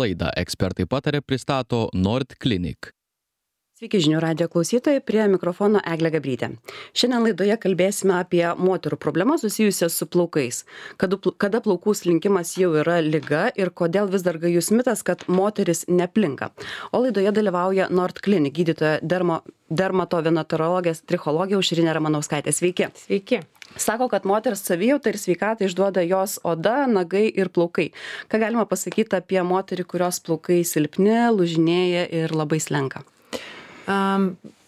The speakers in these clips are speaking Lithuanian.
Laidą Ekspertai pataria pristato Nord Clinic. Sveiki žinių radijo klausytojai, prie mikrofono Eglė Gabrytė. Šiandien laidoje kalbėsime apie moterų problemas susijusias su plaukais. Kada plaukų slinkimas jau yra liga ir kodėl vis dar gajus mitas, kad moteris neplinka. O laidoje dalyvauja Nord Clinic gydytoja dermatovenerologė trichologė Aušrinė Ramanauskaitė. Sveiki. Sveiki. Sako, kad moters savijautą ir sveikatą išduoda jos oda, nagai ir plaukai. Ką galima pasakyti apie moterį, kurios plaukai silpni, lūžinėja ir labai slenka?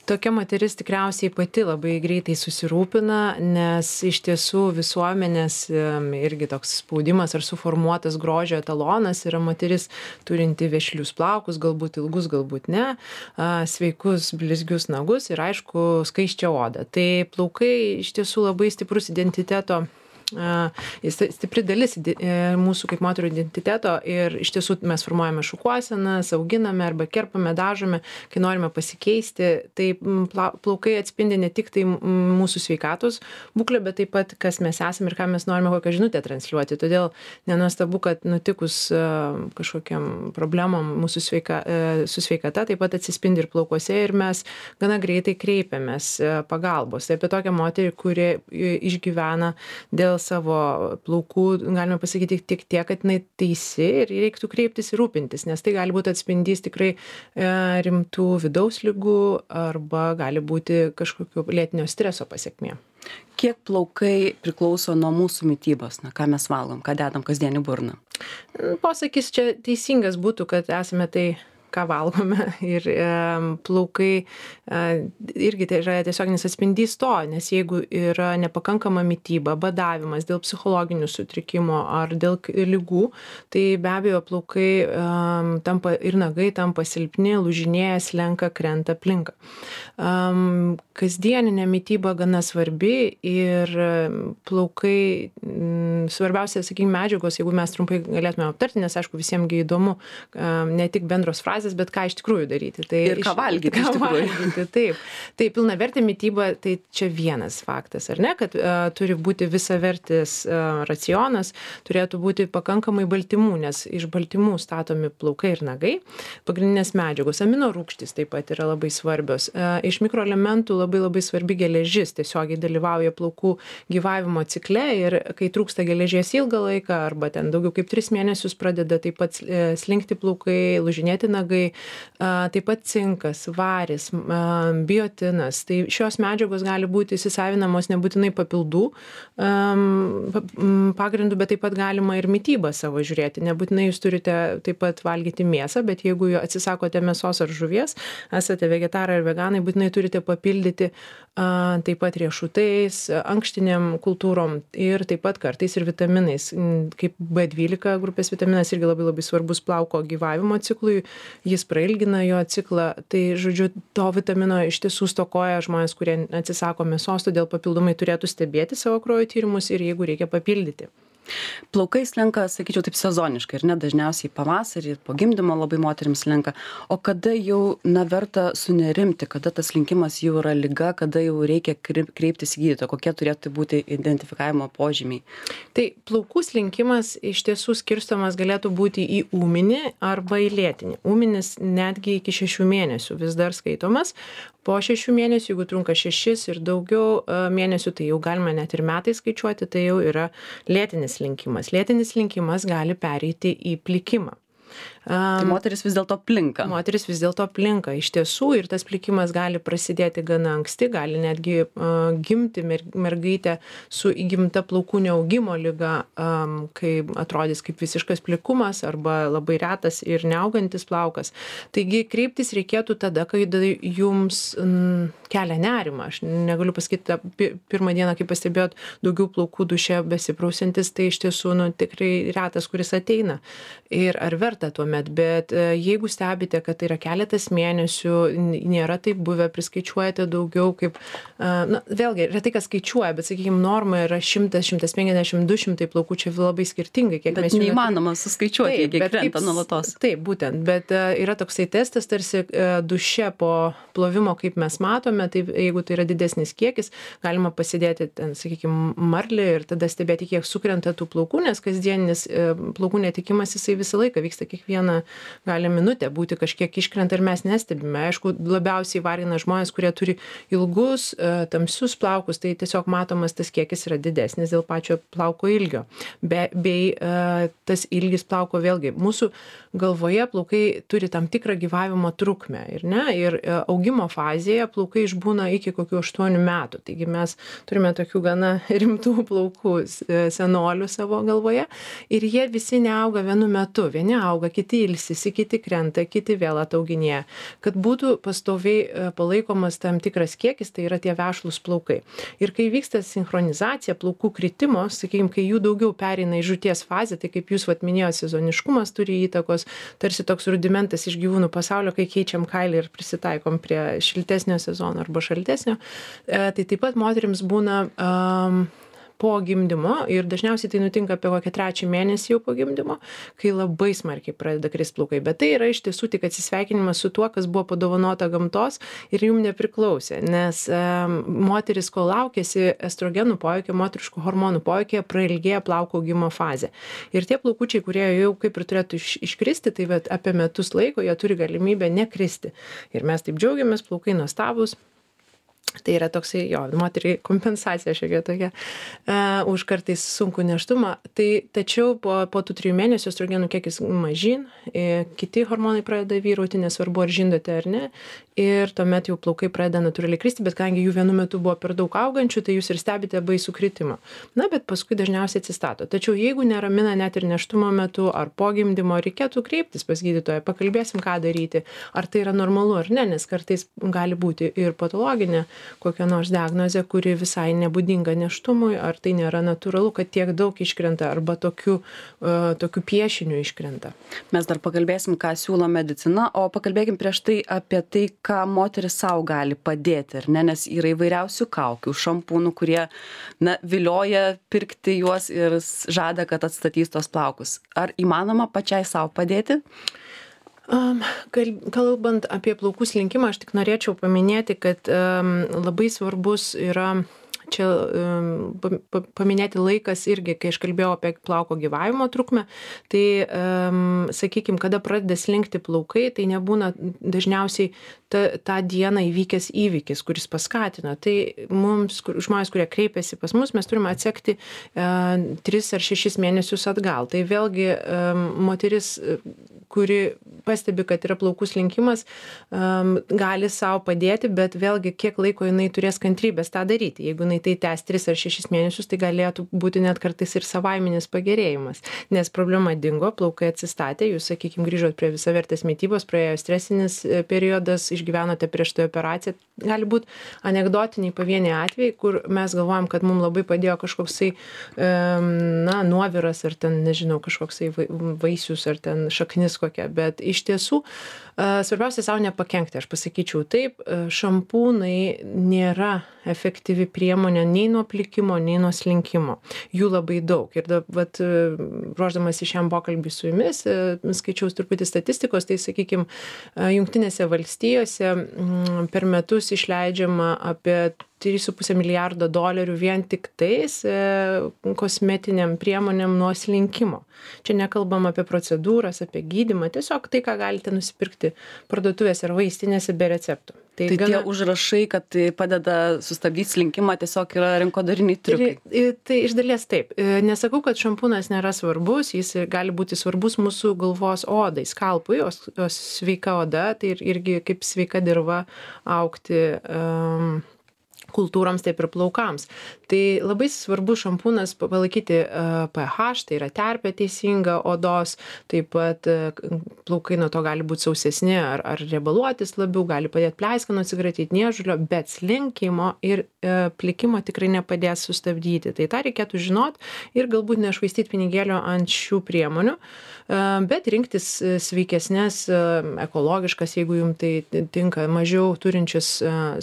Tokia moteris tikriausiai pati labai greitai susirūpina, nes iš tiesų visuomenės irgi toks spaudimas ar suformuotas grožio etalonas yra moteris turinti vešlius plaukus, galbūt ilgus, galbūt ne, sveikus blizgius nagus ir aišku skaisčią odą. Tai plaukai iš tiesų labai stiprus identiteto stipri dalis mūsų kaip moterų identiteto ir iš tiesų mes formuojame šukuosenas, auginame arba kerpame, dažome, kai norime pasikeisti. Tai plaukai atspindi ne tik tai mūsų sveikatos būklę, bet taip pat kas mes esame ir ką mes norime kokią žinutę transliuoti. Todėl nenuostabu, kad nutikus kažkokiam problemom mūsų su sveikata taip pat atsispindi ir plaukuose ir mes gana greitai kreipiamės pagalbos. Tai apie tokią moterį, kuri išgyvena dėl savo plaukų, galime pasakyti tik tiek, kad jinai teisi ir reiktų kreiptis ir rūpintis, nes tai gali būti atspindys tikrai rimtų vidaus ligų arba gali būti kažkokio lėtinio streso pasekmė. Kiek plaukai priklauso nuo mūsų mitybos? Ką mes valgom, ką dedam kasdien į burną? Posakis čia teisingas būtų, kad esame tai, ką valgome ir plaukai irgi tai yra tiesioginis atspindys to, nes jeigu yra nepakankama mityba, badavimas dėl psichologinių sutrikimų ar dėl ligų, tai be abejo plaukai tampa ir nagai tampa silpni, lūžinėja, slenka, krenta, plinka. Kasdieninė mityba gana svarbi ir plaukai, svarbiausia, sakykime, medžiagos, jeigu mes trumpai galėtume aptarti, nes aišku visiems įdomu ne tik bendros frazės, bet ką iš tikrųjų daryti. Tai ir ką valgyti iš tikrųjų. Taip. Tai pilnavertė mityba, tai čia vienas faktas, ar ne, kad turi būti visavertis racionas, turėtų būti pakankamai baltymų, nes iš baltymų statomi plaukai ir nagai. Pagrindinės medžiagos, aminorūgštys taip pat yra labai svarbios. Iš mikroelementų labai svarbi geležis, tiesiogiai dalyvauja plaukų gyvavimo cikle ir kai trūksta geležies ilgą laiką arba ten daugiau kaip 3 mėnesius pradeda taip pat slinkti plaukai, lūžinėti nagai, taip pat cinkas, varis, biotinas. Tai šios medžiagos gali būti įsisavinamos nebūtinai papildų pagrindų, bet taip pat galima ir mitybą savo žiūrėti. Nebūtinai jūs turite taip pat valgyti mėsą, bet jeigu atsisakote mėsos ar žuvies, esate vegetarai ar veganai, būtinai turite papildyti taip pat riešutais, ankštiniam kultūrom ir taip pat kartais ir vitaminais, kaip B12 grupės vitaminas irgi labai svarbus plauko gyvavimo ciklui. Jis prailgina jo ciklą, tai žodžiu, to vitamino iš tiesų stokoja žmonės, kurie atsisako mėsos, todėl papildomai turėtų stebėti savo kraujo tyrimus ir jeigu reikia papildyti. Plaukai slenka, sakyčiau, taip sezoniškai, ir ne dažniausiai pavasarį, po gimdymo labai moterims slenka. O kada jau verta sunerimti, kada tas slinkimas jau yra liga, kada jau reikia kreiptis į gydytoją, kokie turėtų būti identifikavimo požymiai? Tai plaukų slinkimas iš tiesų skirstomas galėtų būti į ūminį arba į lėtinį. Ūminis netgi iki 6 mėnesių vis dar skaitomas. Po 6 mėnesių, jeigu trunka 6 ir daugiau mėnesių, tai jau galima net ir metai skaičiuoti, tai jau yra lėtinis slinkimas. Lėtinis slinkimas gali pereiti į plikimą. Tai moteris vis dėlto plinka. Moteris vis dėlto plinka. Iš tiesų ir tas plikimas gali prasidėti gana anksti, gali netgi gimti mergaitė su įgimta plaukų neaugimo liga, kai atrodys kaip visiškas plikumas arba labai retas ir neaugantis plaukas. Taigi kreiptis reikėtų tada, kai jums kelia nerimą. Aš negaliu pasakyti, pirmą dieną, kai pastebėjot daugiau plaukų duše besiprausiantis, tai iš tiesų tikrai retas, kuris ateina. Ir ar verta tuomet, bet jeigu stebite, kad tai yra keletas mėnesių, nėra taip buvę, priskaičiuojate daugiau kaip, vėlgi, retai kas skaičiuoja, bet, sakykime, norma yra 100, 150, 200 plaukų, čia labai skirtingai, kiek mes jų neįmanoma suskaičiuoti, kiek krenta nuolatos. Taip, būtent, bet yra toksai testas, tarsi duše po plovimo, kaip mes matome, tai jeigu tai yra didesnis kiekis, galima pasidėti ten, sakykime, marlį ir tada stebėti, kiek sukrenta tų plaukų, nes kasdienis plaukų netikimas jisai visą laiką vyksta kiekvieną dieną, gali minutę būti kažkiek iškrenta ir mes nestebime. Aišku, labiausiai vargina žmonės, kurie turi ilgus, tamsius plaukus, tai tiesiog matomas tas kiekis yra didesnis dėl pačio plauko ilgio. Bei tas ilgis plauko vėlgi. Mūsų galvoje plaukai turi tam tikrą gyvavimo trukmę ir augimo fazėje plaukai išbūna iki kokių 8 metų. Taigi mes turime tokių gana rimtų plaukų senolių savo galvoje ir jie visi neauga vienu metu. Vieni auga, kiti ilsisi, kiti krenta, kiti vėl atauginėja. Kad būtų pastoviai palaikomas tam tikras kiekis, tai yra tie vešlūs plaukai. Ir kai vyksta sinchronizacija plaukų kritimo, sakykime, kai jų daugiau pereina į žūties fazę, tai kaip jūs minėjote, sezoniškumas turi įtakos, tarsi toks rudimentas iš gyvūnų pasaulio, kai keičiam kailį ir prisitaikom prie šiltesnio sezono arba šaltesnio, tai taip pat moterims būna po gimdymo ir dažniausiai tai nutinka apie kokią 3 mėnesį jau po gimdymo, kai labai smarkiai pradeda krist plaukai. Bet tai yra iš tiesų tik atsisveikinimas su tuo, kas buvo padovanota gamtos ir jum nepriklausė, nes moteris, kol laukėsi estrogenų poveikio, moteriškų hormonų poveikio, prailgėja plauko augimo fazė. Ir tie plaukučiai, kurie jau kaip ir turėtų iškristi, tai apie metus laiko jie turi galimybę nekristi. Ir mes taip džiaugiamės, plaukai nuostabūs. Tai yra toksai, moteriai kompensacija šiokia tokia už kartais sunkų nėštumą. Tačiau po tų 3 mėnesių estrogenų kiekis mažyn, kiti hormonai pradeda vyrauti, nesvarbu ar žindote ar ne, ir tuomet jau plaukai pradeda natūraliai kristi, bet kadangi jų vienu metu buvo per daug augančių, tai jūs ir stebite baisų kritimą. Na, bet paskui dažniausiai atsistato. Tačiau jeigu neramina net ir nėštumo metu ar po gimdymo, reikėtų kreiptis pas gydytoją, pakalbėsim, ką daryti, ar tai yra normalu ar ne, nes kartais gali būti ir patologinė kokia nors diagnozė, kuri visai nebūdinga nėštumui, ar tai nėra natūralu, kad tiek daug iškrenta arba tokiu piešiniu iškrenta. Mes dar pakalbėsim, ką siūlo medicina, o pakalbėkim prieš tai apie tai, ką moteris savo gali padėti, ar ne, nes yra įvairiausių kaukių, šampūnų, kurie vilioja pirkti juos ir žada, kad atstatys tos plaukus. Ar įmanoma pačiai savo padėti? Kalbant apie plaukų slinkimą, aš tik norėčiau paminėti, kad labai svarbus yra čia paminėti laikas irgi, kai aš kalbėjau apie plauko gyvavimo trukmę, tai, sakykime, kada pradeda slinkti plaukai, tai nebūna dažniausiai tą dieną įvykęs įvykis, kuris paskatina. Tai mums, žmonės, kurie kreipiasi pas mus, mes turime atsekti 3 ar 6 mėnesius atgal. Tai vėlgi moteris, kuri pastebi, kad yra plaukų slinkimas, gali savo padėti, bet vėlgi kiek laiko jinai turės kantrybės tą daryti. Jeigu jinai tai tęs 3 ar 6 mėnesius, tai galėtų būti net kartais ir savaiminis pagerėjimas, nes problema dingo, plaukai atsistatė, jūs, sakykime, grįžot prie visavertės mitybos, praėjo stresinis periodas, išgyvenote prieš tai operaciją. Gali būti anekdotiniai pavieniai atvejai, kur mes galvojam, kad mums labai padėjo kažkoksai nuoviras ar ten, nežinau, kažkoksai vaisius ar ten šaknis kokia, bet iš tiesų svarbiausia savo nepakenkti, aš pasakyčiau taip, šampūnai nėra efektyvi priemonė nei nuo plikimo, nei nuo slinkimo. Jų labai daug. Ir ruošdamas į šiam pokalbį su jumis, skaičiaus truputį statistikos, tai sakykime, Jungtinėse valstijose per metus išleidžiama apie $3,5 milijardo vien tik tais kosmetiniam priemonėm nuo slinkimo. Čia nekalbam apie procedūras, apie gydymą, tiesiog tai, ką galite nusipirkti parduotuvėse ar vaistinėse be receptų. Tai tie užrašai, kad tai padeda sustabdyti slinkimą, tiesiog yra rinkodariniai triukai. Tai iš dalies taip. Nesakau, kad šampūnas nėra svarbus, jis gali būti svarbus mūsų galvos odai, skalpui, o sveika oda, tai irgi kaip sveika dirva augti kultūroms, taip ir plaukams. Tai labai svarbu šampūnas palaikyti pH, tai yra terpė teisinga odos, taip pat plaukai nuo to gali būti sausesni ar riebaluotis labiau, gali padėti pleiskanų atsikratyti niežulio, bet slinkimo ir plikimo tikrai nepadės sustabdyti. Tai tą reikėtų žinot ir galbūt nešvaistyti pinigėlio ant šių priemonių, bet rinktis sveikesnės, ekologiškas, jeigu jums tai tinka, mažiau turinčias,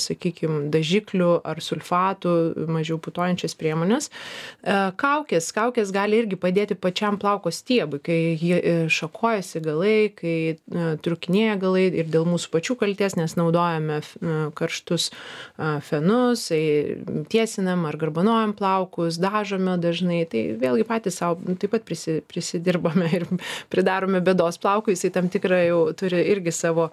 sakykime, dažiklių ar sulfatų, mažiau putojančias priemonės. Kaukės gali irgi padėti pačiam plauko stiebui, kai šakojasi galai, kai trūkinėja galai ir dėl mūsų pačių kalties, nes naudojame karštus fenus, tiesinam ar garbanojam plaukus, dažome dažnai, tai vėlgi patys savo taip pat prisidirbame ir pridarome bėdos plaukui, jisai tam tikrą jau turi irgi savo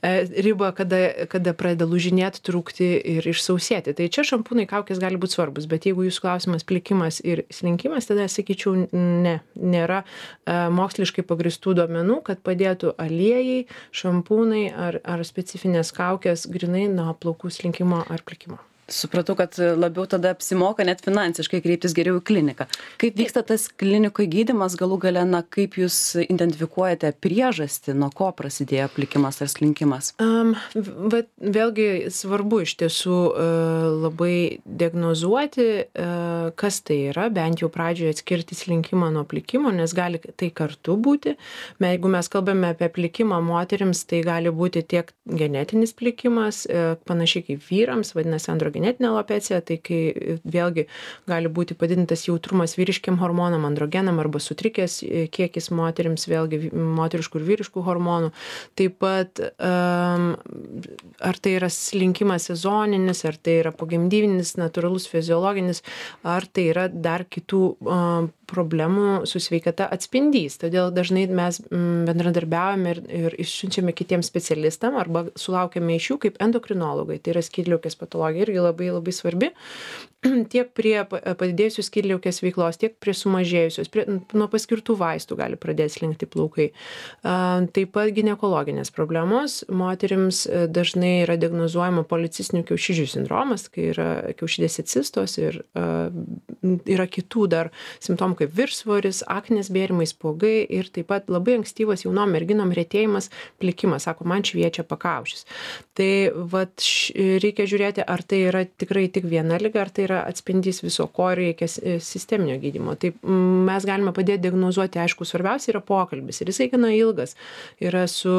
ribą, kada pradeda lūžinėti, trūkti ir išsausėti. Tai čia šampūnai, kaukės gali būti svarbus, bet jeigu jūsų klausimas plikimas ir slinkimas, tada sakyčiau, nėra moksliškai pagristų duomenų, kad padėtų aliejai, šampūnai ar specifinės kaukės grinai nuo plaukų slinkimo ar plikimo. Supratau, kad labiau tada apsimoka net finansiškai kreiptis geriau į kliniką. Kaip vyksta tas klinikoje gydymas, galų gale, kaip jūs identifikuojate priežastį, nuo ko prasidėjo plikimas ar slinkimas? Bet vėlgi svarbu iš tiesų labai diagnozuoti, kas tai yra, bent jau pradžioje atskirti slinkimą nuo plikimo, nes gali tai kartu būti. Jeigu mes kalbame apie plikimą moterims, tai gali būti tiek genetinis plikimas, panašiai kaip vyrams, vadinasi androgenetinė alopecija, tai kai vėlgi gali būti padidintas jautrumas vyriškiam hormonam, androgenam arba sutrikęs kiekis moterims, vėlgi moteriškų ir vyriškų hormonų. Taip pat ar tai yra slinkimas sezoninis, ar tai yra pogimdyvinis, natūralus, fiziologinis, ar tai yra dar kitų problemų su sveikata atspindys. Todėl dažnai mes bendradarbiaujame ir išsiunčiame kitiems specialistam arba sulaukiame iš jų kaip endokrinologai. Tai yra skydliaukės patologija irgi labai svarbi. Tiek prie padidėjusios skydliaukės veiklos, tiek prie sumažėjusios, nuo paskirtų vaistų gali pradėti slinkti plaukai. Taip pat ginekologinės problemos. Moterims dažnai yra diagnozuojama policistinių kiaušidžių sindromas, kai yra kiaušidės cistos ir yra kitų dar simptomų kaip viršsvoris, aknės bėrimai, spuogai ir taip pat labai ankstyvas jaunom merginom retėjimas, plikimas, sako, man šviečia pakaušis. Tai reikia žiūrėti, ar tai yra tikrai tik viena liga, ar tai yra atspindys viso, ko reikia sisteminio gydymo. Tai mes galime padėti diagnozuoti, aišku, svarbiausia yra pokalbis ir jisai gana ilgas. Yra su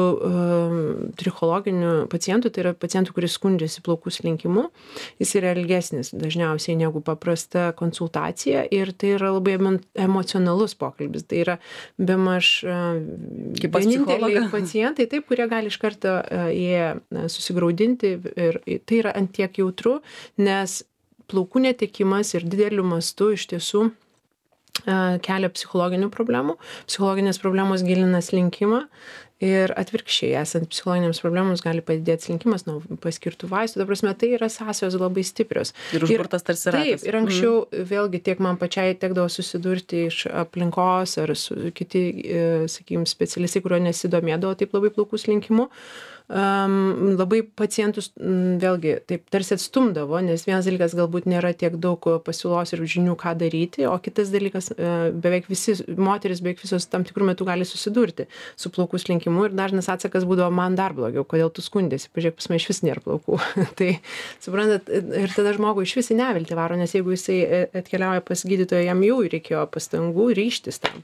trichologiniu pacientu, tai yra pacientų, kuris skundžiasi plaukų slinkimu. Jis yra ilgesnis dažniausiai negu paprasta konsultacija ir tai yra labai emocionalus pokalbis. Tai yra bemaž vieninteliai pacientai, taip, kurie gali iš karto susigraudinti ir tai yra ant tiek jautru, nes plaukų netekimas ir dideliu mastu iš tiesų kelia psichologinių problemų. Psichologinės problemos gilina slinkimą ir atvirkščiai, esant psichologinėms problemams, gali padidėti slinkimas nuo paskirtų vaistų. Ta prasme, tai yra sąsajos labai stiprios. Ir užburtas tarsi ratas. Taip, ir anksčiau vėlgi tiek man pačiai tekdavo susidurti iš aplinkos ar su kiti, sakykime, specialistai, kurio nesidomėdavo taip labai plaukų slinkimu. Labai pacientus vėlgi taip tarsi atstumdavo, nes vienas dalykas galbūt nėra tiek daug pasiūlos ir žinių, ką daryti, o kitas dalykas beveik visi, moteris beveik visos tam tikrų metų gali susidurti su plaukų slinkimu ir dažnas atsakas būdavo man dar blogiau, kodėl tu skundėsi, pažiūrėk, pas mane iš vis nėra plaukų. Tai suprantat, ir tada žmogui iš vis į neviltį varo, nes jeigu jisai atkeliauja pas gydytoją, jam jau reikėjo pastangų ryžtis tam.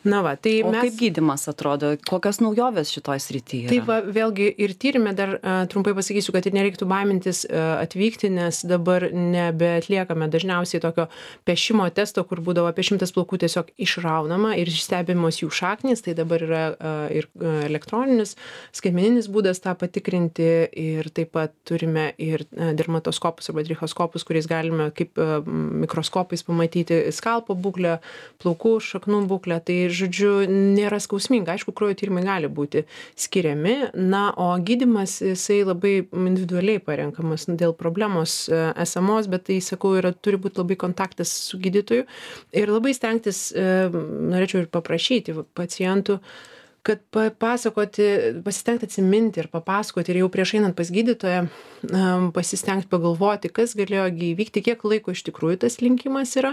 Tai o kaip gydymas atrodo? Kokios naujovės šitoj srityje? Taip, vėlgi ir tyrime dar trumpai pasakysiu, kad ir nereiktų baimintis atvykti, nes dabar nebeatliekame dažniausiai tokio pešimo testo, kur būdavo apie 100 plaukų tiesiog išraunama ir stebimos jų šaknys, tai dabar yra ir elektroninis, skaitmeninis būdas tą patikrinti ir taip pat turime ir dermatoskopus arba trichoskopus, kuriais galime kaip mikroskopais pamatyti skalpo būklę, plaukų, šaknų būklę. Tai žodžiu, nėra skausminga. Aišku, kraujo tyrimai gali būti skiriami, o gydymas jisai labai individualiai parenkamas dėl problemos esamos, bet tai, sakau, turi būti labai kontaktas su gydytoju ir labai stengtis, norėčiau ir paprašyti pacientų, kad pasistengti atsiminti ir papasakoti ir jau prieš einant pas gydytoją pasistengti pagalvoti, kas galėjo įvykti, kiek laiko iš tikrųjų tas slinkimas yra,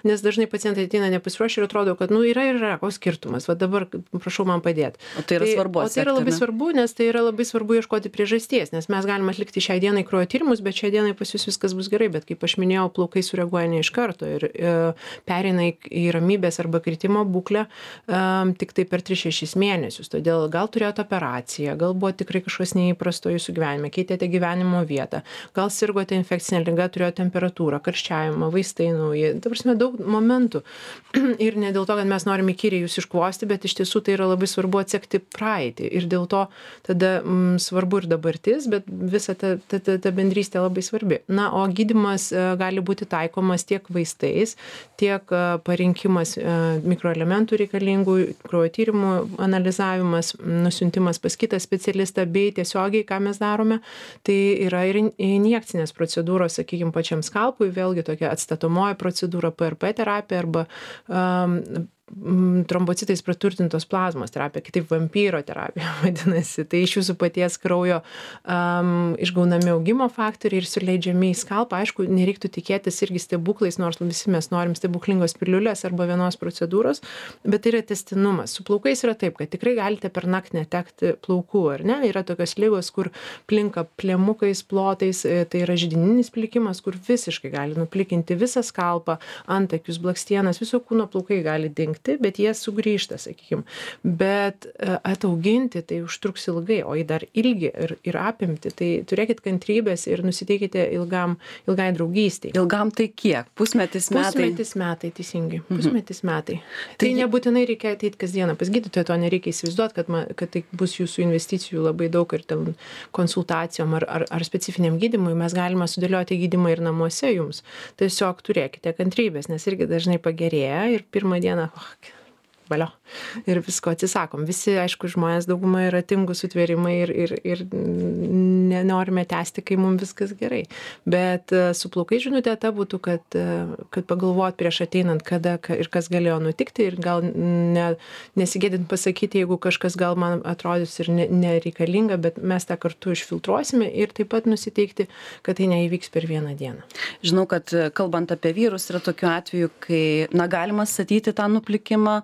nes dažnai pacientai ateina nepasiruošę ir atrodo, kad yra, koks skirtumas, dabar prašau man padėti. O tai yra svarbu. O tai yra labai svarbu, nes tai yra labai svarbu ieškoti priežasties, nes mes galime atlikti šiai dienai kraujo tyrimus, bet šiai dienai pas jūs viskas bus gerai, bet kaip aš minėjau, plaukai sureaguoja ne iš karto ir pereina į ramybės arba kritimo būklę tik tai per 3-6 mėnesius. mėnesius. Todėl gal turėjote operaciją, gal buvo tikrai kažkas neįprasto jūsų gyvenime, keitėte gyvenimo vietą, gal sirgote infekcinę ligą, turėjote temperatūrą, karščiavimą, vaistai nauji. Ta prasme, daug momentų. Ir ne dėl to, kad mes norime įkyriai jūs iškvosti, bet iš tiesų tai yra labai svarbu atsekti praeitį. Ir dėl to tada svarbu ir dabartis, bet visa ta bendrystė labai svarbi. Na, o gydymas gali būti taikomas tiek vaistais, tiek parinkimas mikroelementų reikalingų, kraujo tyrimų analizavimas, nusiuntimas pas kitą specialistą, bei tiesiogiai, ką mes darome, tai yra ir injekcinės procedūros, sakykime, pačiam skalpui, vėlgi tokia atstatomoji procedūra, PRP terapija arba trombocitais praturtintos plazmos terapija, kitaip vampyro terapija vadinasi. Tai iš jūsų paties kraujo išgaunami augimo faktoriai ir suleidžiami į skalpą. Aišku, nereiktų tikėtis irgi stebuklais, nors visi mes norim stebuklingos piliulės arba vienos procedūros, bet tai yra tęstinumas. Su plaukais yra taip, kad tikrai galite per naktį netekti plaukų, ar ne? Yra tokios ligos, kur plinka plėmukais, plotais, tai yra židininis plikimas, kur visiškai gali nuplikinti visą skalpą, antakius, blakstienas, viso kūno plaukai gali dingti, bet jie sugrįžta, sakykime. Bet atauginti tai užtruks ilgai, o į dar ilgį ir apimti, tai turėkit kantrybės ir nusiteikite ilgai draugystiai. Ilgam tai kiek? Pusmetis metai? Pusmetis metai, teisingai. Pusmetis metai. Tai nebūtinai reikia ateiti kasdieną pas gydytoją, to nereikia įsivaizduoti, kad tai bus jūsų investicijų labai daug ir ten konsultacijom ar specifiniam gydymui. Mes galime sudėlioti gydymą ir namuose jums. Tiesiog turėkite kantrybės, nes irgi dažnai pagerėja ir pirmą dieną valio. Ir visko atsisakom. Visi, aišku, žmonės dauguma yra tingų sutvėrimai ir nenorime tęsti, kai mums viskas gerai. Bet su plaukai žinutė ta būtų, kad pagalvot prieš ateinant, kada ir kas galėjo nutikti ir gal nesigėdint pasakyti, jeigu kažkas gal man atrodys ir nereikalinga, bet mes tą kartu išfiltruosime ir taip pat nusiteikti, kad tai neįvyks per vieną dieną. Žinau, kad kalbant apie vyrus yra tokių atvejų, kai galima statyti tą nuplikimą,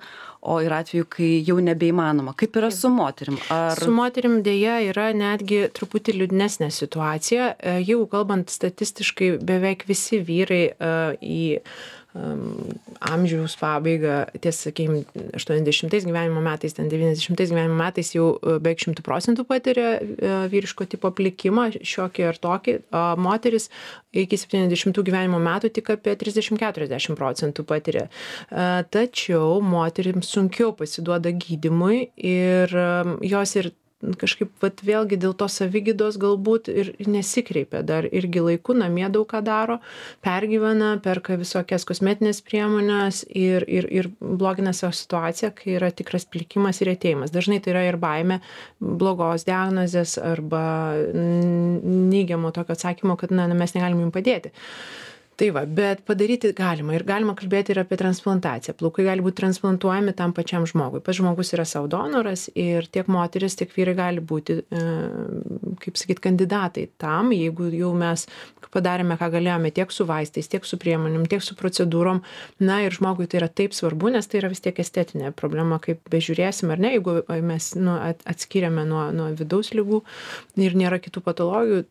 o yra atveju, kai jau nebeįmanoma. Kaip yra su moterim? Su moterim dėja yra netgi truputį liūdnesnė situacija. Jeigu kalbant statistiškai, beveik visi vyrai į amžiaus pabaigą, tiesa, sakykime, 80 gyvenimo metais, 90 gyvenimo metais jau beveik 100% patiria vyriško tipo plikimą, šiokį ar tokį. Moteris iki 70 gyvenimo metų tik apie 30-40% patiria. Tačiau moterims sunkiau pasiduoda gydymui ir jos ir kažkaip vėlgi dėl to savigydos galbūt ir nesikreipia dar irgi laiku, namie daug ką daro, pergyvena, perka visokias kosmetinės priemonės ir blogina savo situaciją, kai yra tikras plikimas ir atėjimas. Dažnai tai yra ir baimė blogos diagnozės arba neigiamo tokio atsakymo, kad mes negalim jums padėti. Tai va, bet padaryti galima ir galima kalbėti ir apie transplantaciją. Plaukai gali būti transplantuojami tam pačiam žmogui. Pats žmogus yra savo donoras ir tiek moteris, tiek vyrai gali būti, kaip sakyt, kandidatai tam, jeigu jau mes padarėme, ką galėjome tiek su vaistais, tiek su priemonėm, tiek su procedūrom. Na ir žmogui tai yra taip svarbu, nes tai yra vis tiek estetinė problema, kaip bežiūrėsim ar ne, jeigu mes atskiriame nuo vidaus ligų ir nėra kitų patologijų,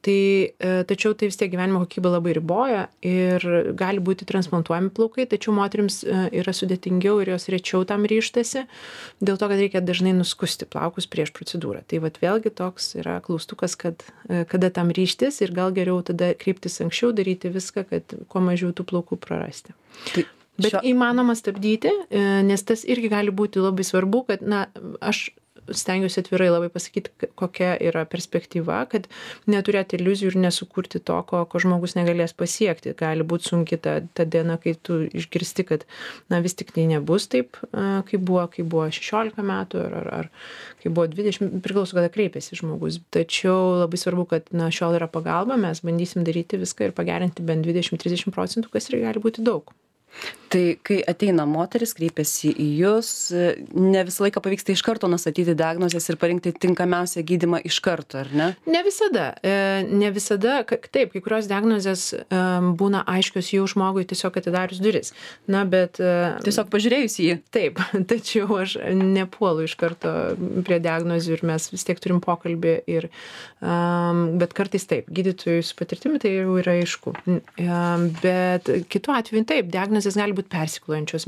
tačiau tai vis tiek gyvenimo kokybė labai riboja ir gali būti transplantuojami plaukai, tačiau moterims yra sudėtingiau ir jos rečiau tam ryžtasi, dėl to, kad reikia dažnai nuskusti plaukus prieš procedūrą. Tai vėlgi toks yra klaustukas, kada tam ryžtis ir gal geriau tada kreiptis anksčiau, daryti viską, kad kuo mažiau tų plaukų prarasti. Bet įmanoma stabdyti, nes tas irgi gali būti labai svarbu, kad aš stengiuosi atvirai labai pasakyti, kokia yra perspektyva, kad neturėti iliuzijų ir nesukurti to, ko žmogus negalės pasiekti. Gali būti sunki ta diena, kai tu išgirsti, kad vis tik tai nebus taip, kaip buvo 16 metų ar kai buvo 20, priklauso, kada kreipėsi žmogus. Tačiau labai svarbu, kad šiol yra pagalba, mes bandysim daryti viską ir pagerinti bent 20-30%, kas ir gali būti daug. Tai kai ateina moteris, kreipiasi į jūs, ne visą laiką pavyksta iš karto nustatyti diagnozes ir parinkti tinkamiausią gydymą iš karto, ar ne? Ne visada. Taip, kai kurios diagnozės būna aiškios jau žmogui tiesiog atidarius duris. Bet tiesiog pažiūrėjus į jį. Taip, tačiau aš nepuolu iš karto prie diagnozių ir mes vis tiek turim pokalbį bet kartais taip, gydytojui su patirtimi tai jau yra aišku. Bet kitu atveju taip, diagnozė diagnozės gali būti persiklojančios,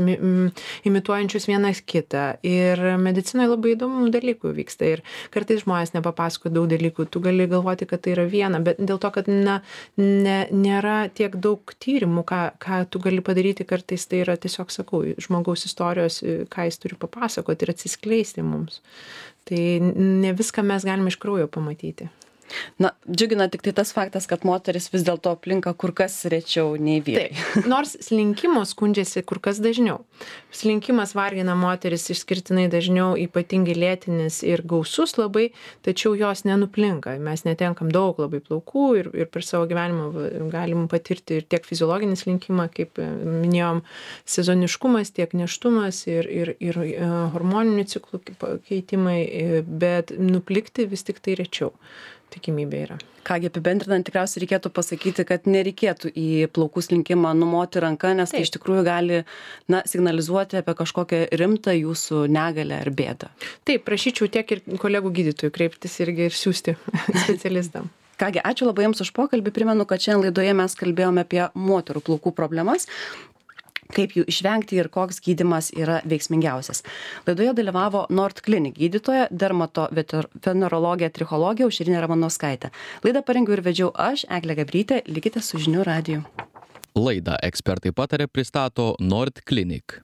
imituojančios vienas kitą. Ir medicinoje labai įdomių dalykų vyksta. Ir kartais žmonės nepapasako daug dalykų. Tu gali galvoti, kad tai yra viena, bet dėl to, kad nėra tiek daug tyrimų, ką tu gali padaryti, kartais tai yra tiesiog, sakau, žmogaus istorijos, ką jis turi papasakoti ir atsiskleisti mums. Tai ne viską mes galime iš kraujo pamatyti. Na, džiugina tik tai tas faktas, kad moteris vis dėlto aplinka kur kas rečiau nei vyrai. Taip, nors slinkimo skundžiasi kur kas dažniau. Slinkimas vargina moteris išskirtinai dažniau, ypatingai lėtinis ir gausus labai, tačiau jos nenuplinka. Mes netenkam daug labai plaukų ir per savo gyvenimą galim patirti ir tiek fiziologinį slinkimą, kaip minėjom, sezoniškumas, tiek nėštumas ir hormoninių ciklų keitimai, bet nuplikti vis tik tai rečiau. Tikimybė yra. Kągi, apibendrinant, tikriausiai reikėtų pasakyti, kad nereikėtų į plaukų slinkimą numoti ranką, nes tai iš tikrųjų gali signalizuoti apie kažkokią rimtą jūsų negalę ar bėdą. Taip, prašyčiau tiek ir kolegų gydytojų kreiptis irgi ir siųsti specialistam. Kągi, ačiū labai Jums už pokalbį. Primenu, kad šiandien laidoje mes kalbėjome apie moterų plaukų problemas, kaip jų išvengti ir koks gydymas yra veiksmingiausias. Laidoje dalyvavo Nord Clinic gydytoja, dermatovenerologė, trichologė Aušrinė Ramanauskaitė. Laidą parengiau ir vedžiau aš, Eglė Gabrytė. Likite su Žinių radiju. Laidą Ekspertai pataria pristato Nord Clinic.